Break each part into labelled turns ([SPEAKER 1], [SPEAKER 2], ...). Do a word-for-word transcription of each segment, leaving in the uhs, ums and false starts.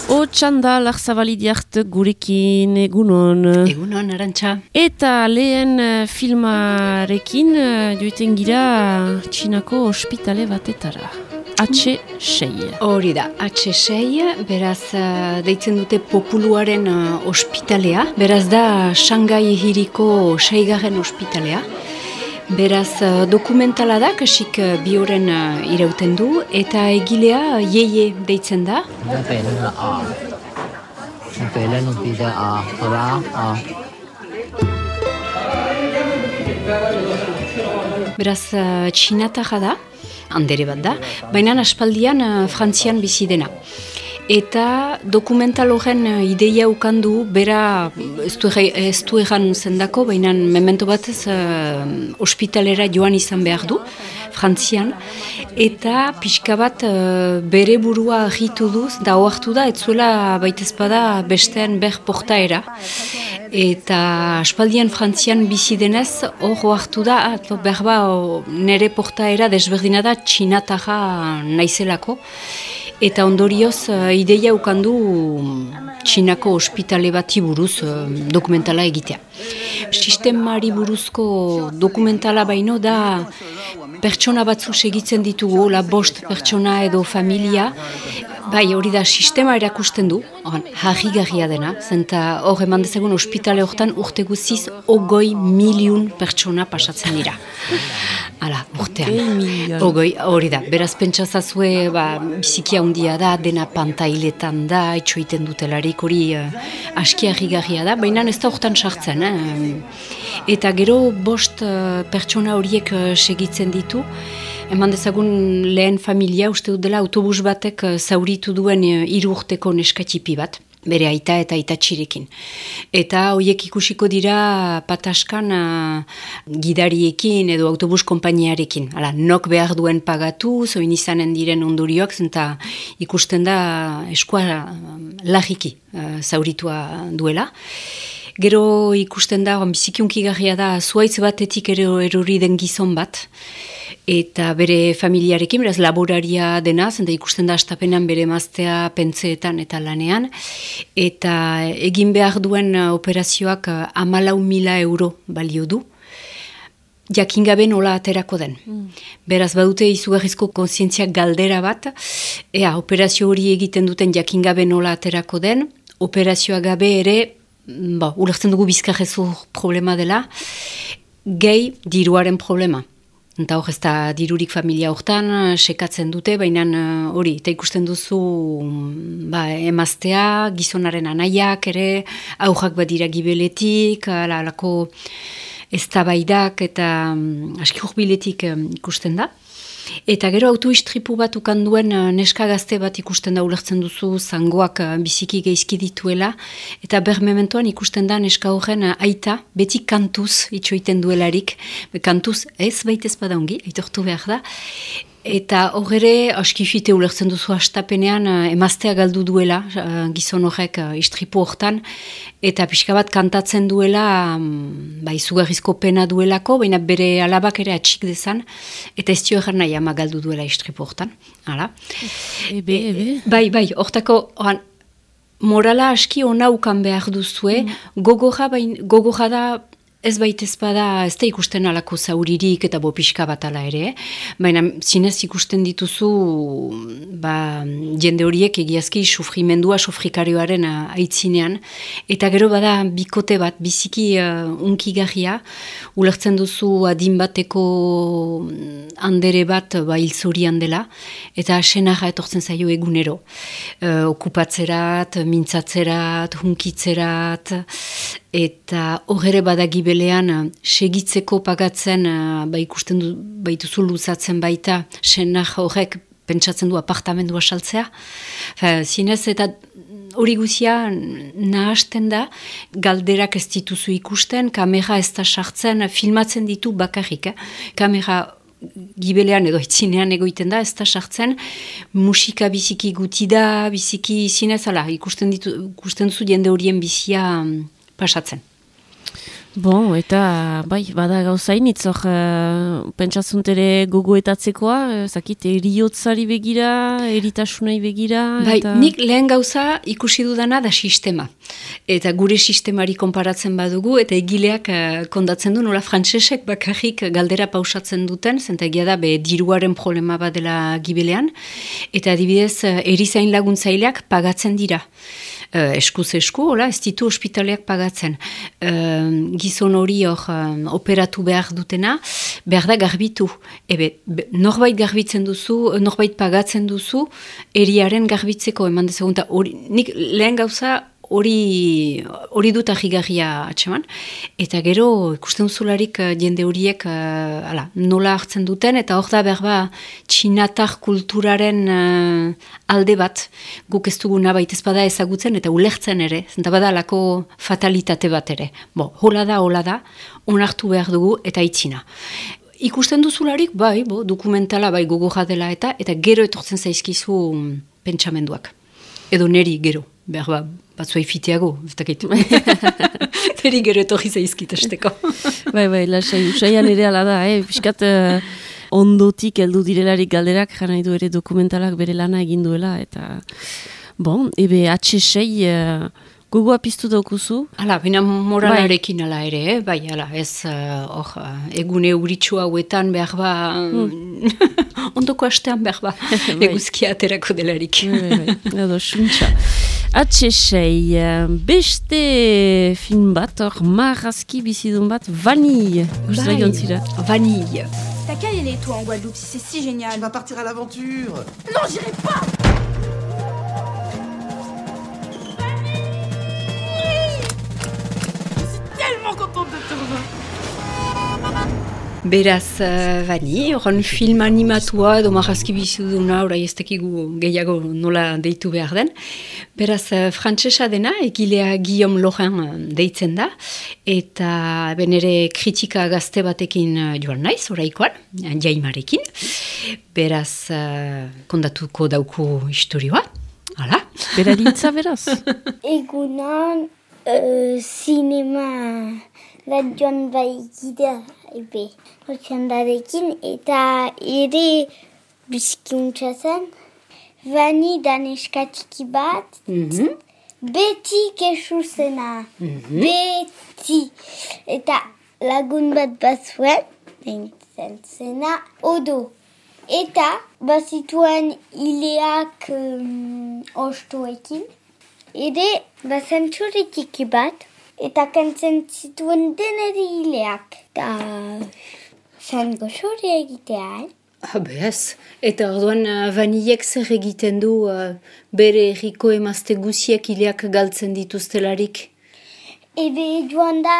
[SPEAKER 1] Otxanda, Larzabalidiart gurekin, egunon.
[SPEAKER 2] Egunon, Arantxa.
[SPEAKER 1] Eta lehen uh, filmarekin uh, joiten gira Txinako ospitale batetara. H sei.
[SPEAKER 2] Hori da, H sei, beraz uh, deitzen dute populuaren uh, ospitalea. Beraz da Shanghai hiriko seigarren ospitalea. Beraz, uh, dokumentala da, kasik uh, bi horren uh, irauten du, eta egilea uh, Ye Ye deitzen da. Beraz, uh, txinatarra da, handere bat da, baina aspaldian uh, Frantzian bizi dena. Eta dokumental horren ideia ukandu, bera ez du, ez du egan zendako, baina memento batez uh, ospitalera joan izan behar du, Frantzian, eta pixka bat uh, bere burua agitu duz, da oartu da, ez zuela baitezpada bestean ber portaera. Eta aspaldian Frantzian bizi denez, hor oartu da, behar ba, nere portaera desberdina da txinatarra naizelako. Eta ondorioz uh, ideia ukandu Txinako ospitale bati buruz uh, dokumentala egitea. Sistemari buruzko dokumentala baino da pertsona batzu segitzen ditugu, la bost pertsona edo familia. Bai, hori da, sistema erakusten du, harrigarria dena, zenta hor eman dezagun ospitale hortan urte guziz ogoi miliun pertsona pasatzen dira. Hala, urtean. Ogoi, hori da, beraz pentsazazue, ba, biziki handia da, dena pantailetan da, itxoiten dutelarik, hori uh, aski harrigarria da, baina ez da hortan sartzen. Eh? Eta gero bost uh, pertsona horiek uh, segitzen ditu, eman dezagun lehen familia, uste dut dela autobus batek zauritu duen hiru urteko neskatxipi bat, bere aita eta aitatxirekin. Eta horiek ikusiko dira pataskan uh, gidariekin edo autobus konpainiarekin. Hala, nok behar duen pagatu, zoin izanen diren ondorioak, zenta ikusten da eskua lagiki uh, zauritua duela. Gero ikusten da, bizikiunkigarria da, zuaitz batetik ere erori den gizon bat, eta bere familiarekin, beraz laboraria dena, zenta ikusten da astapenan bere emaztea pentseetan eta lanean, eta egin behar duen operazioak hamalau mila euro balio du, jakingabe nola aterako den. Mm. Beraz badute izugarrizko kontzientziak galdera bat, ea operazio hori egiten duten jakingabe nola aterako den, operazioa gabe ere, ba, ulertzen dugu bizkarrezur problema dela, gehi diruaren problema. Eta hor ez da dirurik familia hortan, sekatzen dute, baina hori, eta ikusten duzu ba, emaztea, gizonaren anaiak ere, aurrak badira gibeletik, alako eztabaidak eta aski hurbiletik ikusten da. Eta gero autoistripu bat ukanduen neska gazte bat ikusten da ulertzen duzu, zangoak biziki geizki dituela, eta ber mementoan ikusten da neska horren aita, beti kantuz itxoiten duelarik, kantuz ez baitez badaungi, aitortu behar da, eta horre askifite ulertzen duzu hastapenean emaztea galdu duela, gizon horrek istripu hortan, eta pixka bat kantatzen duela, ba, izugarrizko pena duelako, baina bere alabak ere atxik dezan, eta ez dio egan nahi ama galdu duela istripu hortan. Hala.
[SPEAKER 1] Ebe, ebe.
[SPEAKER 2] Bai, bai, hortako, oran, morala aski ona ukan behar duzue, mm. gogorra, bain, gogorra da, ez baitez bada, ez da ikusten alako zauririk eta bopiska bat ala ere, baina zinez ikusten dituzu ba, jende horiek egiazki sufrimendua sufrikarioaren aitzinean, eta gero bada bikote bat, biziki uh, unkigarria, ulertzen duzu adin bateko handere bat ba, hilzorian dela, eta senarra etortzen zaio egunero. Uh, okupatzerat, mintzatzerat, hunkitzerat, eta horre badagibelean segitzeko pagatzen ba ikusten du, baituzu luzatzen baita senar horrek pentsatzen du apartamendua saltzea. Zinez eta hori guzia nahasten da, galderak ez dituzu ikusten, kamera ez da sartzen, filmatzen ditu bakarrik. Eh? Kamera gibelean edo itzinean egoiten da, ez da sartzen, musika biziki guti da, biziki zinez, ala, ikusten, ditu, ikusten zu jende horien bizia pasatzen.
[SPEAKER 1] Bon, eta, bai, bada gauzainitz, hor, uh, pentsatzunt ere gogoetatzekoa, uh, zakit, eriotzari begira, eritasunai begira.
[SPEAKER 2] Bai,
[SPEAKER 1] eta...
[SPEAKER 2] nik lehen gauza ikusi dudana da sistema. Eta gure sistemari konparatzen badugu, eta egileak uh, kondatzen du, nola frantsesek bakarrik galdera pausatzen duten, zentegia da, be, diruaren problema bat dela gibelean, eta adibidez, uh, erizain laguntzaileak pagatzen dira. Uh, eskuz esku, hola, ez ditu ospitaleak pagatzen. Uh, gizon hori hor um, operatu behar dutena, behar da garbitu. Ebe, be, norbait garbitzen duzu, norbait pagatzen duzu, eriaren garbitzeko eman dezagunta. Nik lehen gauza hori hori dut ahigarria atseman. Eta gero ikusten duzularik jende horiek uh, ala, nola hartzen duten, eta hor da behar ba txinatar kulturaren uh, alde bat, guk ez duguna baita ez bada ezagutzen eta ulertzen ere, zenta bada lako fatalitate bat ere. Bo, hola da, hola da, onartu behar dugu eta itzina. Ikusten duzularik, bai, bo, dokumentala, bai, gogorra dela eta, eta gero etortzen zaizkizu pentsamenduak. Edo neri gero, behar ba, batzua ifiteago, ez dakit. Neri gero etorri zaizkit esteko.
[SPEAKER 1] Bai, bai, lasai, usaian ere ala da, eh? Piskat uh, ondotik heldu direlarik galderak, jana nahi du ere dokumentalak bere lana egin duela, eta, bon, ebe H sei... Uh, Gogoa piztu daukuzu?
[SPEAKER 2] Hala, baina moralarekin ala ere, eh? Bai, ala, ez, hor, uh, egune euritxu hauetan behar ba, mm. ondoko astean behar ba, eguzkia aterako delarik.
[SPEAKER 1] Bai, bai, edo, suntxa. H sei, beste film bat, hor, marrazki bizidun bat, Vanille.
[SPEAKER 2] Bai, Vanille.
[SPEAKER 3] T'as qu'à y aller, toi, en Guadeloupe, si c'est si génial.
[SPEAKER 4] Tu vas partir à l'aventure.
[SPEAKER 3] Non, j'irai pas.
[SPEAKER 2] Beraz, uh, bani, horren film animatua edo marrazki biziduna, orai ez tekigu gehiago nola deitu behar den. Beraz, uh, frantsesa dena, egilea Guillaume Laurent deitzen da, eta benere kritika gazte batekin uh, joan naiz, oraikoan, jaimarekin. Beraz, uh, kondatuko dauku historioa, hala?
[SPEAKER 1] Beraritza beraz?
[SPEAKER 5] Egunon, uh, sinema da joan baigida. Ebe, hotxandarekin, eta ere bizkiuntza zen, Vani da neskatiki bat,
[SPEAKER 2] mm-hmm.
[SPEAKER 5] beti kesu zena, mm-hmm. beti. Eta lagun bat bazuen, deintzen zena, odo. Eta bazituen hileak um, ostoekin, ere bazentzuretiki bat, eta kantzen zituen deneri hileak. Eta zan goxore egitea, eh?
[SPEAKER 2] Ah, bez. Eta orduan uh, Vanillek zer egiten du uh, bere erriko emazte guziek hileak galtzen dituztelarik?
[SPEAKER 5] Ebe joan da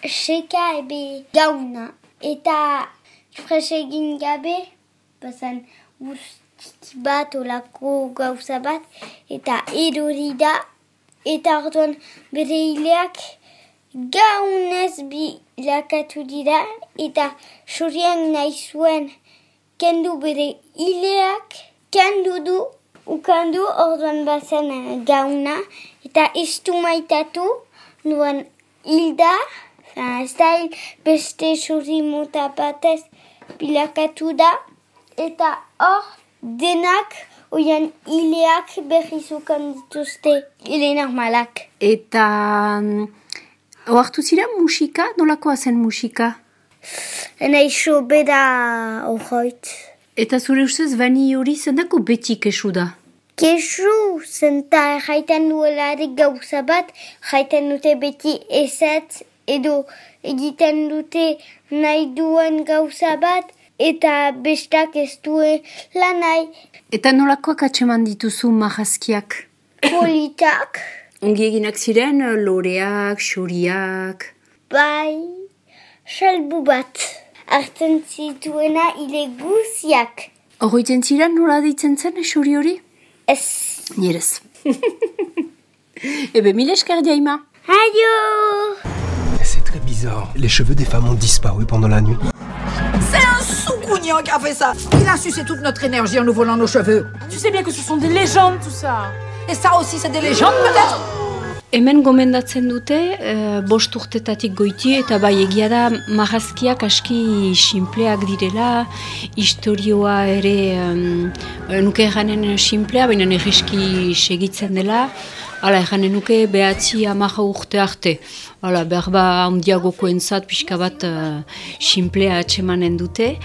[SPEAKER 5] seka ebe gauna. Eta fres egin gabe, bazan guztiki bat olako gauza bat, eta erori da. Eta orduan bere hileak gaunez bilakatu dira, eta sorian nahi zuen kendu bere hileak, kendu du, ukandu orduan bazen gauna, eta ez du maitatu, nuen hilda, ez da hil beste sori mota batez bilakatu da, eta hor denak oian hileak berrizukan dituzte, hile normalak.
[SPEAKER 2] Eta oartu zira musika? Nolakoa zen musika?
[SPEAKER 5] Nahi sobeda horroit.
[SPEAKER 2] Eta zure ustez Vani hori zendako beti kesu da?
[SPEAKER 5] Kesu, zenta jaiten duelarik gauza bat, jaiten dute beti ezat, edo egiten dute nahi duen gauza bat, eta bestak ez duela nahi.
[SPEAKER 2] Eta nolakoak atseman dituzu marrazkiak?
[SPEAKER 5] Politak.
[SPEAKER 2] Ongi eginak ziren, loreak, xoriak?
[SPEAKER 5] Bai, salbu bat. Artzen zituena hile guziak.
[SPEAKER 2] Horroiten ziren nola deitzen zen xori hori?
[SPEAKER 5] Ez.
[SPEAKER 2] Nierez. Ebe, mil esker diaima.
[SPEAKER 5] Adio!
[SPEAKER 4] C'est très bizarre. Les cheveux des femmes ont disparu pendant la nuit.
[SPEAKER 6] C'est un sous-gougnan qui a fait ça. Il a sucé toute notre énergie en nous volant nos cheveux.
[SPEAKER 3] Tu sais bien que ce sont des légendes, tout ça.
[SPEAKER 6] Et ça aussi, c'est des légendes, peut-être?
[SPEAKER 2] Hemen gomendatzen dute, e, bost urtetatik goiti, eta bai egia da marrazkiak aski sinpleak direla, historioa ere um, nuke erranen sinplea, baina egiski segitzen dela, hala erranen nuke behatzi amaja urte arte. Hala, behar ba handiagoko entzat pixka bat uh, sinplea atsemanen dute.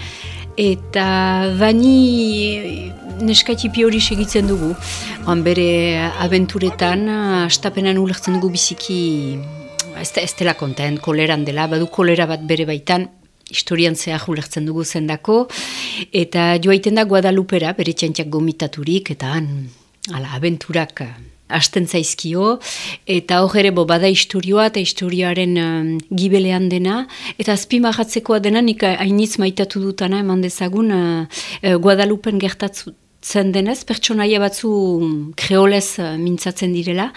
[SPEAKER 2] Eta bani neskaitipi hori segitzen dugu. Han bere abenturetan, astapenan ulertzen dugu biziki, ez, ez dela kontent, koleran dela, badu kolera bat bere baitan, historian zehar ulertzen dugu zendako, eta joaiten da Guadalupera, bere txantxak gomitaturik, eta han, ala, abenturak hasten zaizkio, eta hor ere bo bada historioa eta historioaren um, gibelean dena, eta azpimarratzekoa dena nik hainitz maitatu dutana eman dezagun uh, uh, Guadalupen gertatzen denez, pertsonaia batzu kreolez uh, mintzatzen direla,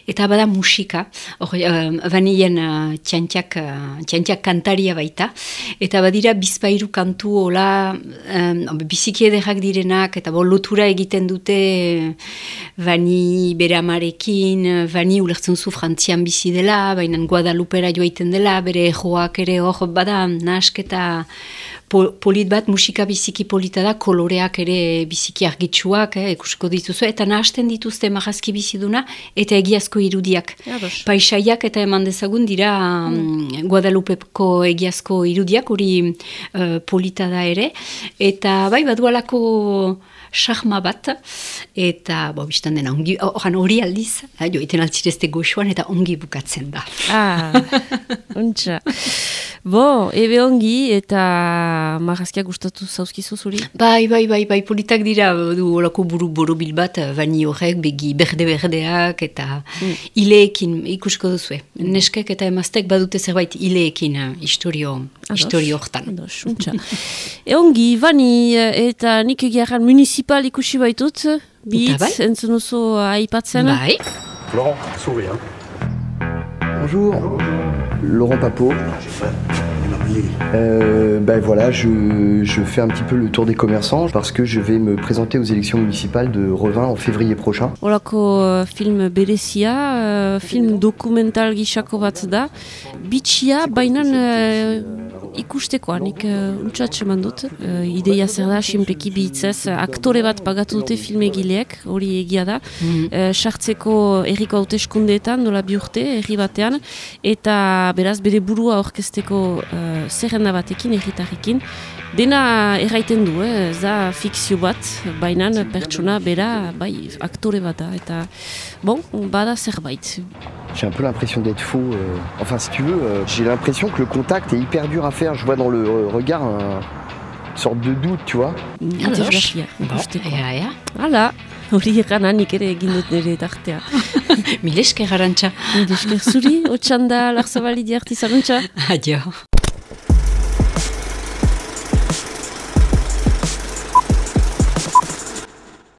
[SPEAKER 2] eta bada musika, hor uh, banien uh, txantxak, uh, txantxak kantaria baita, eta badira bizpairu kantu hola, um, biziki ederrak direnak, eta bo lotura egiten dute bani bere amarekin, bani ulertzen zu Frantzian bizi dela, baina Guadalupera joaiten dela, bere joak ere hor bada nahasketa polit bat, musika biziki polita da, koloreak ere biziki argitsuak, eh, ikusiko dituzu, eta nahasten dituzte marrazki biziduna, eta egiazko irudiak.
[SPEAKER 1] Ados.
[SPEAKER 2] Paisaiak eta eman dezagun dira mm. Guadalupeko egiazko irudiak, hori uh, polita da ere, eta bai, badualako sarma bat, eta bo, biztan dena, ongi, oran hori aldiz, eh, joiten altzirezte goxuan, eta ongi bukatzen da.
[SPEAKER 1] Ah, ontsa. Bo, ebe ongi, eta marrazkiak gustatu zauzkizu zuri?
[SPEAKER 2] Bai, bai, bai, bai, politak dira, du horako buru borobil bat, bani horrek, begi berde-berdeak, eta mm. ileekin, ikusko duzue. Neskek eta emaztek badute zerbait ileekin, historio, historio hortan.
[SPEAKER 1] Ados, ontsa. E ongi, bani, eta nik egiaran municipal ikusi baitut, bitz, entzun oso aipatzen.
[SPEAKER 2] Bai.
[SPEAKER 4] Laurent, souris, hein.
[SPEAKER 7] Bonjour, Laurent Papot. Euh, ben voilà, je, je fais un petit peu le tour des commerçants parce que je vais me présenter aux élections municipales de Revin en février prochain.
[SPEAKER 1] Olako uh, film berezia, uh, film dokumental gisako bat da. Bitxia, bainan uh, ikustekoa, nik uh, untxatxe mandut. Uh, ideia zer da, sinpleki bihitzez, aktore bat pagatu dute filmegileek, hori egia da. Mm-hmm. Sartzeko uh, erriko hauteskundeetan, dola bi urte, herri batean, eta beraz bere burua orkesteko uh, zerrenda batekin, erritarrekin. Dena erraiten du, eh? Ez da fikzio bat, baina pertsona bera, bai, aktore bat da, eta bon, bada zerbait.
[SPEAKER 7] J'ai un peu l'impression d'être faux. Euh, enfin, si tu veux, euh, j'ai l'impression que le contact est hyper dur à faire. Je vois dans le euh, regard un, une sorte de doute, tu vois.
[SPEAKER 1] Interesgarria, ikusteko. Hala, hori egana nik ere egin dut nire tartea.
[SPEAKER 2] Milesker, Arantxa.
[SPEAKER 1] Milesker zuri, otxanda, Larzabali diartizan, ontsa.
[SPEAKER 2] Adio.